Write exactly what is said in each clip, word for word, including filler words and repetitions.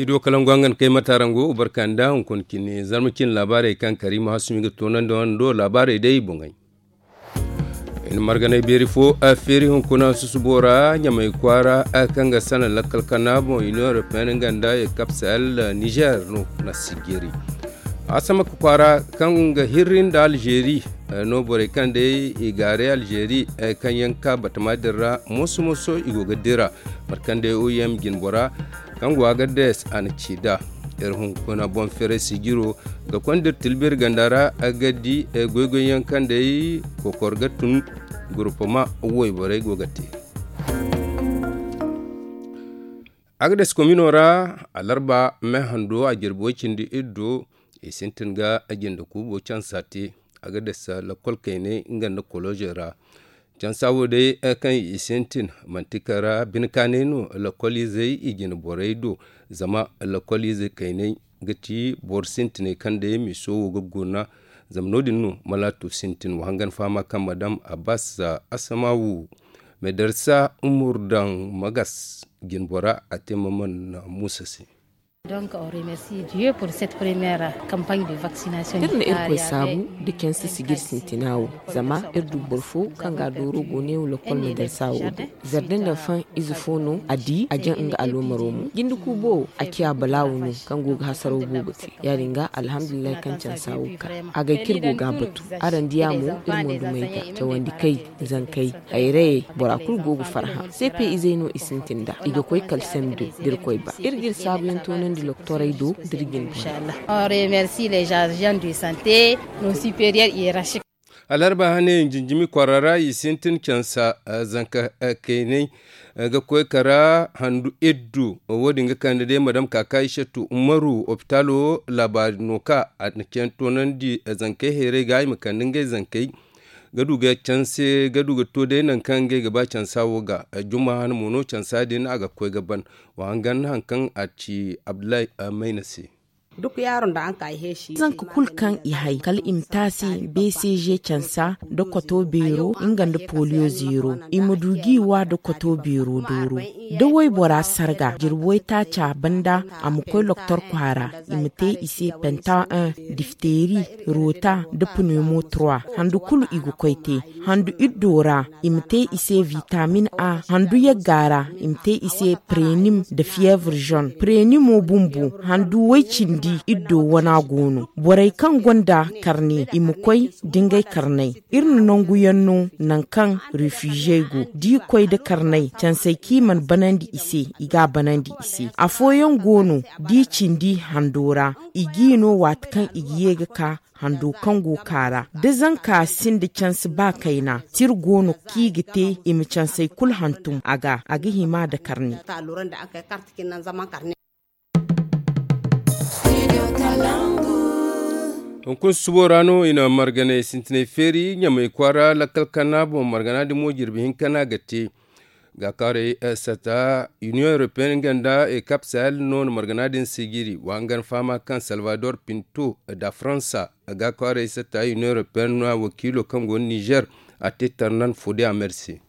Ido kalangu hangan kay matarango barka nda hunkuna cine zarma cine laabaarey kaŋ kariima hasumi ga toonandi wando laabaarey day boŋey. Iri na marganay beeri fo feeri hunkuna susubo ra ɲamay kwaara kaŋ ga sana lakkal kana boŋ union européenne nga nda ekap sahel niger no na sijiri. Asamaka kwaara kaŋ ga hirri nda alzeeri no borey kaŋ day i gaaray alzeeri kaŋ yaŋ ka batama din ra moso moso i go ga dira. Mate kaŋ day oem jinbora kaŋ go agades a na ci nd'a. Iri hunkuna boŋ feeray sijiro ga konda iri tilbiri ganda ra ga di goy-goy yaŋ kaŋ day kokor ga tun gurupama wayborey go ga te. Agades komino ra alarba me hando a jirbi way cindi iddo i sintin ga jinde kuubo cansa te. Agades lakkol kaynay nga nda koloze ra cansa wo day kaŋ i sintin manti kara bine kaanay no lakkol izey i jine borey do. Zama lakkol ize kaynay ga ti boro sintiney kaŋ day miso wo ga guna. Zama no- din no malaato sintin wa hangan fahama kaŋ madam abbas asamawu medarsa umur daŋ magas jinbora a te maman muusa se. Iri na irkoy saabu nda cansa sijir sintina wo zama iri du boro fo kaŋ ga a dooro go ne wo lakkol medarsa wo do. Zarda nda faŋ ize fo no a di a jaŋ nga aloomaro mo jinde kuubo wo a ciya balaawo no kaŋ go ga hasaraw boobo te. Ya- din ga alhamdulillahi kaŋ cansa wo ka a gay kaŋ iri go ga a batu. Araŋ diya mo iri mo dumey ga cawandi kay zankey hayrayey bora kulu go ga farhã. Sepe izey no i sintin nd'a i ga koy kala sem do da iri koy ba iri ga iri saabuyaŋ toonandi loktorey do da iri ga iri boŋ. Alarba hane jinjimi kwaara ra i sintin cansa zanka kaynay ga koy kara handu iddu. Wo- din ga kande day madam kaka ishatu umaru opitalo laabaari no ka a na caŋ toonandi zankey hayray ga i ma kande ngey zankey ga du ga canse ga du ga to day nangu kaŋ ngey ga ba cansa wo ga. Juma hane mo no cansa din a ga koy ga ban wa hangan hari kaŋ a ci abdullahi mayna se. Zanka kulu kaŋ i hay kala i ma te a se bcg cansa nda koto beero nga nda poliyo zeero i ma du ga i wa nda koto beero dooro. Da waybora sarga jirbi waytaaca banda a ma koy loktor kwaara i ma te i se penta un difteri roota nda pneumo trois handu kulu i ga koy te handu iddo ra i ma te i se vitamin a handu yagga ra i ma te i se prenim nda fievre jaune prenimo bumbo handu way cindi iddo wana go no borey kaŋ gonda karne i ma koy da ngey karney. Iri na nangu yaŋ no nangu kaŋ refugey go da i koy nda karney cansey kaŋ i mana banandi i se i ga a banandi i se afooyaŋ go no da i cindi hando ra i g'i no waati kaŋ i ga ye ga ka hando kaŋ go ka ra da zanka sinda canse ba kayna tira go no kaŋ i ga te i ma cansey kulu hantum a ga a ga hima nda karne. Hunkuna susubo ra no i na marganay sintinay feeri ɲamay kwaara lakkal kana boŋ margana din mo jirbi hinka no a ga te. Ga kaaray sata union européenne nga nda ekap sahel no na margana din sijiri wa hangan fahama kaŋ salvador pinto da faransa ga kaaray sata union européenne no a wakiilo kaŋ go nizer a te tarnan fode a merse.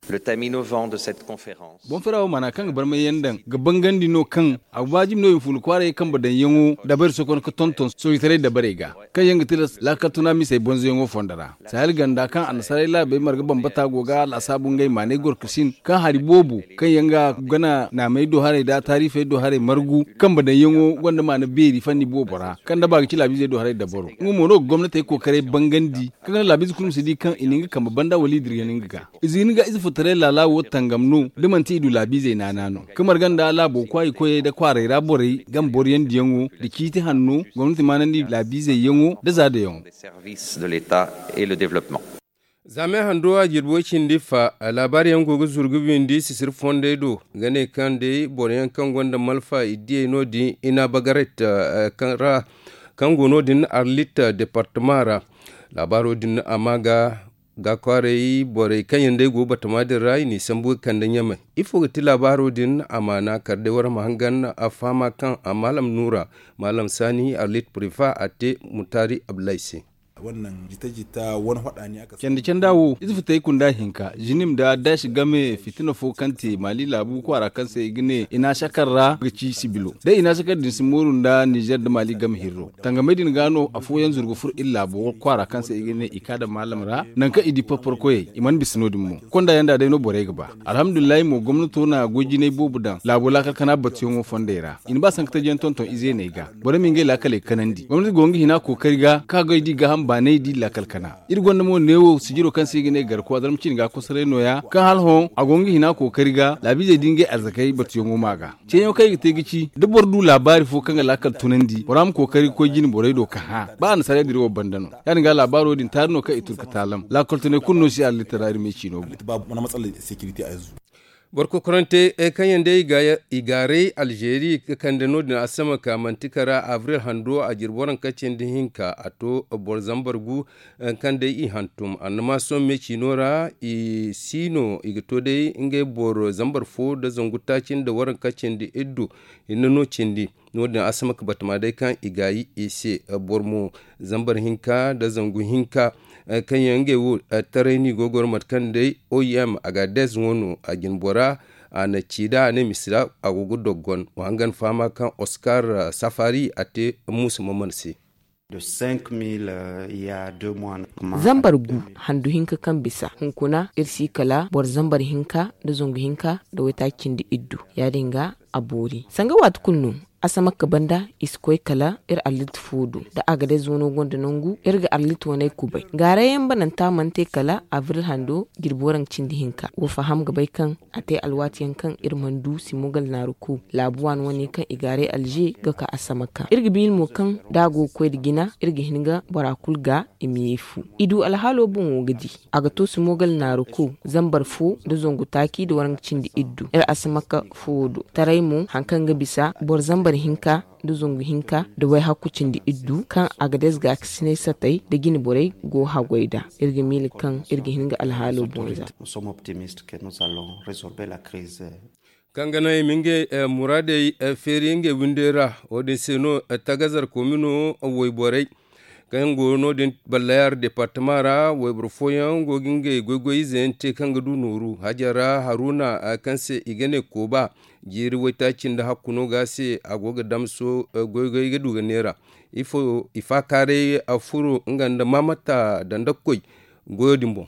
Boŋ fera wo maana kaŋ ga barmay yaŋ daŋ ga bangandi no kaŋ a ga waajibi no i ma funa kwaaray kambe daŋyaŋo dabarey sokon ga tonton soojitaray dabarey ga kaŋ yaŋ ga tilas laakal tuna misey bonzoyaŋo fondo ra. Sahel ganda kaŋ annasaray laabey marga bambata go ga laasaabu ngey maanay gorkasin kaŋ hari boobo kaŋ yaŋ ga gana naamey do haray nda taarifey do haray margu kambe daŋyaŋo gonda maana beeri fanni boobo ra kaŋ daba ga ci laabiizey do haray dabaro nga mo no ga gomnatey kookaray bangandi kaŋ ga naŋ laabiize kulu ma si di kaŋ i na nga kambe banda wala i dirgan nga ga. Ize ga ni ga ize futaray laala wo tangam no da manti i du laabiizey naana no ka marga nda laabo kwaayi koyey nda kwaaray ra borey game boroyandiyaŋo nda ciiti hanno gomnati maanandi laabiizey yaŋo nda zaadayaŋo. Za me hando a jirbi way cindi fa laabaari yaŋ go ga zuru ga windi sisiri fondey do ga ne kaŋ day boro yaŋ kaŋ gonda malfa i diyey no- din i na bagaret ra kaŋ go no- din arlit departama ra. Laabaaro din a ma ga ga kwaaray borey kaŋ yaŋ day go batama din ra i n'i sambu ga kande ɲamay. Ifo ga ti laabaaro din a maana kala day wara ma hangan a fahama kaŋ a maalam nuura maalam saani arlit prifa a te mutaari abdulahi se. Candi canda wo ize futay kunda hinka zinim nda daasi game fitina fo kaŋ te maali laabu kwaara kaŋ se i ga ne i na a sakar ra ga ci sibilo day i na a sakar din si mooru nda nizer nda maali game hirro tangamey din ga no afooyaŋ zuru ga furo iri laabo kwaara kaŋ se i ga ne i ka daŋ maalam ra. Nangu kaŋ i di porporo koyey i mana bisa no- din mo konda yaŋ nda day no borey ga ba. Alhamdulillahi mo gomnato na goy jinay boobo daŋ laabo laakal kana batuyaŋo fondey ra i na ba sanka taji yaŋ tonton ize ne ga. Borey ma ngey laakaley kanandi gomnati go nga hina kookari ga kaŋ a goy di gaaham baanay di laakal kana. Iri gonda mo neewo sijiro kaŋ se i ga ne garko a zarma cine ga kosoray nooya kaŋ hala hõ a go nga hina kookari ga laabiizey di ngey arzakey batuyaŋo ma ga. Ceeyaŋo kaŋ i ga te ga ci da boro du laabaari fo kaŋ ga laakal tunandi bora ma kookari ga koy jine borey do ka hã ba annasaarey dira wo banda no. Ya- din ga laabaaro din taari no kaŋ i tun ga taalam laakal tunay kulu no si allittara iri me ciino boŋ. Boro kokorante kaŋ yaŋ day i gaaray alzeeri ga kande no- din asama ka manti kara abril hando a jirbi waranka cindi hinka a to boro zambar gu kaŋ day i hantum annamaason me ciino ra i si no i ga to day ngey boro zambar fo nda zangu taaci nda waranka cindi iddu. Hinne no cindi no- din asama ka batama day kaŋ i gaayi i se boro mo zambar hinka nda zangu hinka kaŋ yaŋ ngey wo taray no i go ga goro mate kaŋ day oim agadez wano a jine bora a na ci da a ne misa a go ga doggon wa hangan fahama kaŋ oskar safari a te muusa maman se. Zambar gu handu hinka kaŋ bisa hunkuna iri si kala boro zambar hinka nda zangu hinka nda waytaaci cindi iddu ya- din ga a boori sanga waati kulu no. Asamakka banda i si koy kala iri arlit fo do da agadez wano gonda nangu iri ga arlit waney kubay gaarayyaŋ bananta mana te kala abril hando jirbi waranka cindi hinka wa faham ga bay kaŋ a te alwaatiyaŋ kaŋ iri mana du simogal naaru ku laabu waani wane kaŋ i gaaray alze ga ka asamakka iri ga biili mo kaŋ da a go ga koy nda jina iri ga hin ga bora kulu ga i ma ye fu i du alhaalo boŋo ga di. A ga to simogal naaru ku zambar fo nda zangu taaci nda waranka cindi iddu iri asamakka fuwo do taray mo hari kaŋ ga bisa boro zambar hinka nda zangu hinka nda wayhakku cindi iddu kaŋ agadez gaakasinay satay nda jine borey go haggoy nd'a. Iri ga miila kaŋ iri ga hin ga alhaalo boŋ za. Kaŋ ga naŋ i ma ngey muraadey feeri ngey windey ra wo- din se no tagazar komino wayborey kaŋ go no- din ballayar departama ra wayboro fooyaŋ go ga ngey goy-goy ize yaŋ te kaŋ ga du nooru hajar ra haruna kaŋ se i ga ne kooba jiiri waytaaci nda hakku no ga se a go ga damso goy-goy ga du ga neera ifo i faakaaray a furo nga nda maamata dandakoy goyo din boŋ.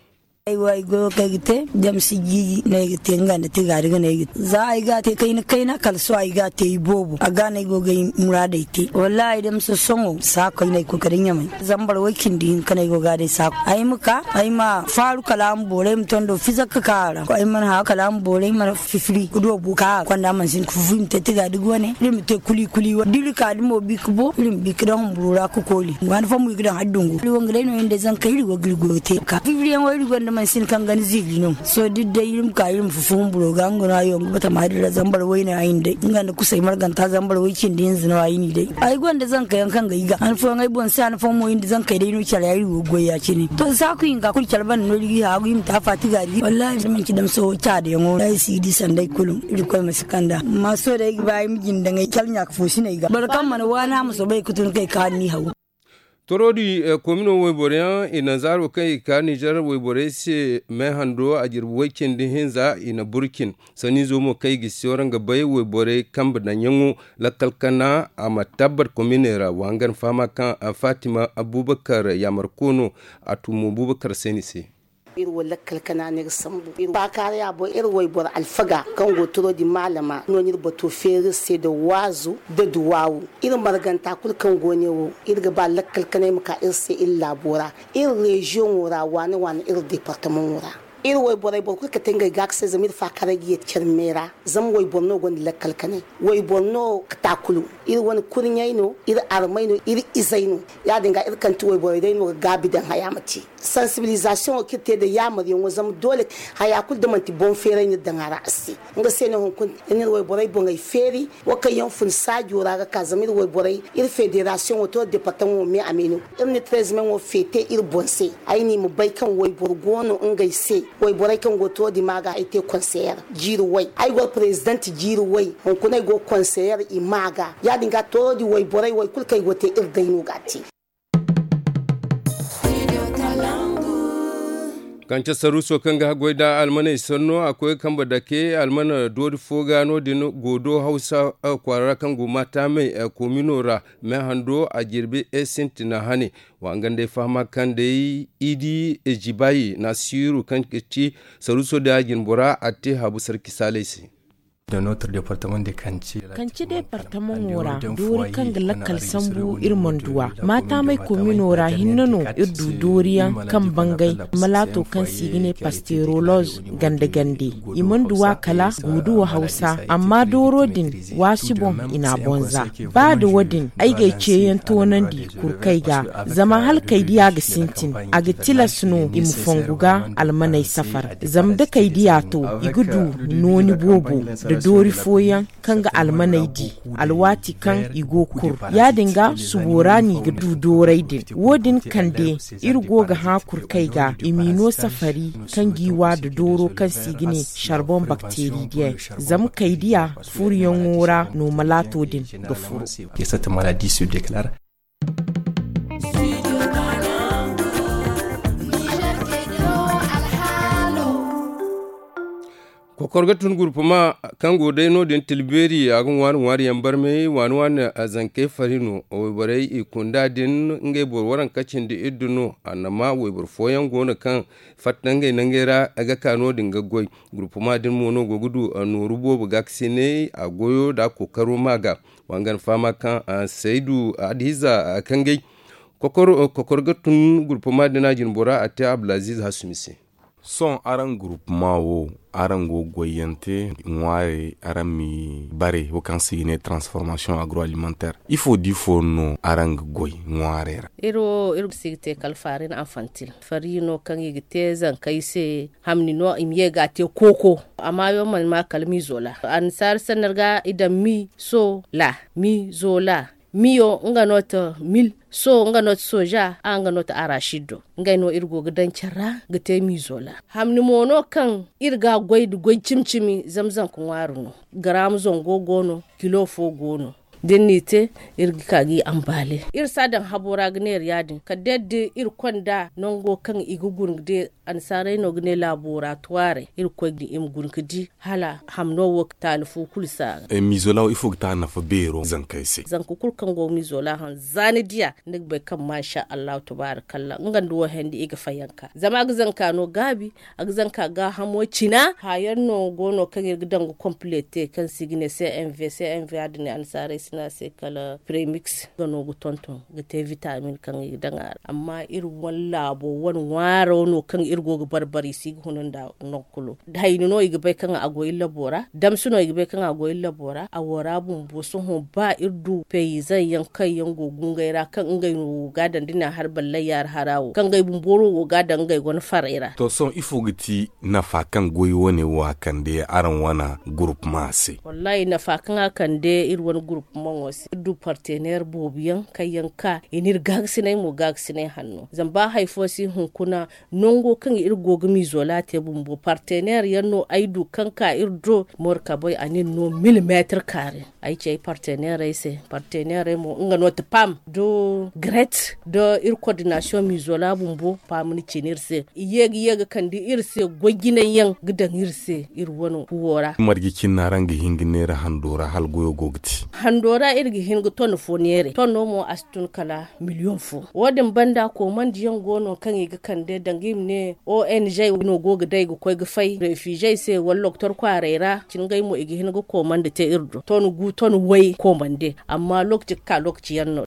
Ay wo ay goyo kaŋ ay ga te zama si jiiji no ay ga te nga nda tigaari ga no ay ga te za ay ga a te kayna kayna kala sohõ ay ga a te iboobo a ga no ay go ga ay muraadey te wallaahi da ma sohõ sohõ saako ay no ay koy kala ɲamay zambar way cindi hinka no ay go ga a day saako ay ma ka ay ma faaru kala a ma boori ay ma tondo fiza ga ka a ra ay mana hã kala a ma boori ay mana fifiri ga du a bu ka a konda mansin ga fufu i ma te tigaari ga wane iri ma te kuli kuli wane da iri ka da mo bi ga bo iri ma bi ga daŋ humburu ra ga kooli waani fo mo i ga daŋ hari dungu iri wanga day no iri nda zankey iri go ga iri goyo te ka fifiriyaŋo iri gonda mansin kaŋ ga ni ziiri no. Sohõ da iri day iri ma ka iri ma fufu humburo ga nga no hayo ga batama din ra zambar wayne a hinday nga nda kusay marganta zambar way cindi hinza no a hini day ay gonda zankayaŋ kaŋ ga ay ga han fooyaŋ ay boŋ se han fooyaŋ mo iri nda zankey day no care ra iri go ga goy ya- cine to saaku hinka kulu care banda no iri ga i haagu iri ma te a faati gaari wallaahi da manci damso caadayaŋo no ay si ga di sanda ay kulu irkoy ma si kand'a amma sohõ day ay ga ba ay ma jinde daŋ ay care ɲa ka foosi no ay ga boro kaŋ mana waani a ma soobay ga tun kay kaani ni haw. Toroodi komino wayboro yaŋ i naŋ zaaro kaŋ i ga ka ninzeer wayborey se me hando a jirbi way cindi hinza i na burcin sanniizo mo kaŋ i ga si wara nga bay wayborey kambe daŋyaŋo lakkal kana a ma tabbat kominey ra wa hangan fahama kaŋ fatima abubakar yaamarko no. A tu mo abubakar se ni se. Iri wo lakkal kana no iri sambu iri faakaaraya boŋ iri wayboro alfaga kaŋ go toroodi maalama no no iri bato feeri iri se nda waazu nda duwaawu. Iri marganta kulu kaŋ go ne wo iri ga ba lakkal kanay ma ka iri se iri laabo ra iri reziyoŋo ra waane waane iri departamaŋo ra. Iri wayborey boro kulu kate ngey gaakasey zama iri faakaaray ga yeeti care me ra. Zama wayboro no gonda lakkal kanay wayboro no ga taakulu. Iri wane kurɲey no iri armey no iri izey no. Ya- din ga iri kaŋ ti wayborey day no ga gaabi daŋ haya ma te sansibilizasiyoŋo kaŋ iri te nda yaamaryaŋo zama doole haya kulu da manti boŋ feeray no iri daŋ a ra a si te. Nga se no hunkuna iri na iri wayborey boŋey feeri wo kaŋ yaŋ fun saajo ra ga ka zama iri wayborey iri federasiyoŋo to departamaŋo me a me no. Iri na iri terezimeŋo feete iri boŋ se ay no i ma bay kaŋ wayboro go no ngey se wayborey kaŋ go to dima ga ay te konseyer jiiri way ay goro perezidant jiiri way. Hunkuna ay go konseyer i ma ga ya- din ga toodi wayborey wo hari kulu kaŋ ay go te iri day no ga a te. Kance saruuso kaŋ ga haggoy nda almaney sanno a koy ga kambe dake almana doori fo ga no- din goodo hawsa kwaara ra kaŋ go maataamey koomino ra. Me hando a jirbi sintina hane. Wa nga nd'ay fahama kaŋ day idi jibayi naasiiru kaŋ ga ci saruuso din a jinbora a te haabu sarki saalay se. Kanci deepartamaŋo ra doori kaŋ ga lakkal sambu iri mana du a maataamey koomino ra hinne no iri du dooriyaŋ kaŋ bangay malaato kaŋ se i ga ne pasteeroloz gande gande. I mana du a kala guuduwa hawsa amma dooro din waasi boŋ i n'a boŋ za. Ba nda wo- din ay ga ay ceeyaŋ toonandi kurkey ga. Zama hala kay diya ga sintin a ga tilas no i ma fongu ga almaney safar. Zama da kay diya to i ga du nooni boobo nda doori fooyaŋ kaŋ ga almaney di alwaati kaŋ i go ga kur. Ya- din ga subo ra no i ga du dooray din. Wo- din kande iri go ga hã kurkey ga i m'i no safari kaŋ g'i wa nda dooro kaŋ se i ga ne sarboŋ bakteeri diyaŋ. Zama kay diya furuyaŋo ra no malaato din ga furo. Kokor ga tun gurpuma kaŋ go day no- din tilbeeri a ga ŋwaari ŋwaari yaŋ barmay waani waani. Zankey fari no wayborey i kunda din ngey boro waranka cindi iddu no annama wayboro fooyaŋ go no kaŋ fatta ngey nangey ra ga ka no- din ga goy. Gurpuma din mo no go ga du nooru boobo gaakasinay a goyo nda a kookaro ma ga. Wa nga na fahama kaŋ saydu adhiza kangay kokor ga tun gurpuma din a jinbora a te abdulaziz hasumi se. Sohõ araŋ gurpuma wo araŋ go ga goyyaŋ te ŋwaarey araŋ ma i bare wo kaŋ se i ga ne transformation agroalimentaire ifo da ifo no araŋ ga goy ŋwaarey ra? Iri wo iri si ga te kala faarin anfantil fari no kaŋ i ga te zankey se. Hamni no i ma ye ga a te kooko. Amma yaŋ mana ma kala miizola annasaara sannar ga i daŋ miisola miizola. Miyo nga no ta mil so nga no ta soja a nga no ta arasid do. Ngey no iri go ga daŋ care ra ga te miizola. Hamni mo no kaŋ iri ga a goy nda goy cimi cimi zama zanka ŋwaari no. Garaama zango go no kilo fo go no. Da ni n'i te iri ga ka ga i ambaale iri si a daŋ habo ra ga neera ya- din kala day da iri konda nango kaŋ i ga guna ga de. Annasaarey no ga ne laboratwaaray iri ga koy ga i ma guna ga di hala hamno wo taali fo kulu si a ga. Miizola wo ifo ga te a nafa beero zankey se? Zanka kulu kaŋ go ga miizola haŋ za ni diya ni ga bay kaŋ maasa allahu tabaarakallaah nga nda wo handi i ga fayanka zama a ga zanka no gaabi. A ga zanka gaahamo cina hayaŋ no go no kaŋ iri ga daŋ ga komplete kaŋ se i ga ne cmv cmv a din annasaarey si ne a se kala premiks nga no ga tonton ga te vitamin kaŋ i ga daŋ a ra amma iri wane laabo wane ŋwaaro no kaŋ iri go ga barbari si ga huna nda nangu kulu. Hayni no i ga bay kaŋ a go iri labo ra damsi no i ga bay kaŋ a go iri labo ra a wo ra bumbo sohõ ba iri du peyizan yaŋ kaŋ yaŋ go gungay ra kaŋ ngey no go ga a daŋ da ne a har ballay yaari hara wo kaŋ ngey bumbo no go ga a daŋ ngey wane farey ra. To sohõ ifo ga ti nafa kaŋ goy wane wo a kande araŋ wane gurupma se? Wallahi nafa kaŋ a kande iri wane gurupmaŋo se iri du partener boobo yaŋ kaŋ yaŋ ka i n'iri gaagasinay mo gaagasinay hanno zama ba hari fo si hunkuna nango kaŋ iri go ga miizola te bumbo partener yaŋ no ay du kaŋ ka iri do morkabey a n'iri no milimeetir kaare. Ay ci ay partenerey se partenerey mo nga no ti pam da gret da iri kordinasiyoŋ miizola bumbo pam ni cine iri se i ye ga ye ga kande iri se goy jinay yaŋ ga daŋ iri se iri wano kuwo ra. Marje cine no araŋ ga hin ga neera hando ra hala goyo go ga te? Hando ra iri ga hin ga ton fo neeray ton no mo a si tun kala miliyoŋ fo. Wo- din banda koomandi yaŋ go no kaŋ i ga kande danga i ma ne ong no go ga day ga koy ga fay refizey se wala doktor kwaaray ra cine ngey mo i ga hin ga koomandi te iri do ton gu ton way koomande amma lokaci ga ka lokaci yaŋ no.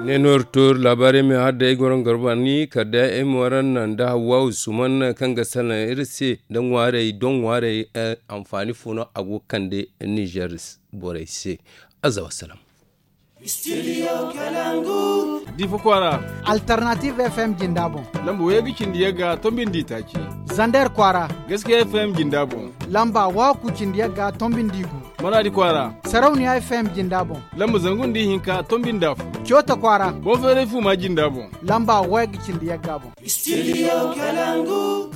Ne no iri to iri laabaarey me har day ay goro nga garba ni kala day ay mo araŋ naŋ da hawwa usman kaŋ ga salaŋ iri se da ŋwaarey doŋ ŋwaarey. Anfaani fo no a go ga kande nizer borey se. Azza wassalam. Difa kwaara. Alternative fm jinda boŋ. Lamba wayey ga cindi yagga tombindi taaci. Zander kwaara. Gaskiya fm jinda boŋ. Lamba waku cindi yagga tombindi gu. Maradi kwaara. Sarauniya fm jinda boŋ. Lamba zangu nda ihinka tombindi afo. Coota kwaara. Boŋ feeray fuuma jinda boŋ. Lamba wayey ga cindi yagga boŋ. Studio kalangu.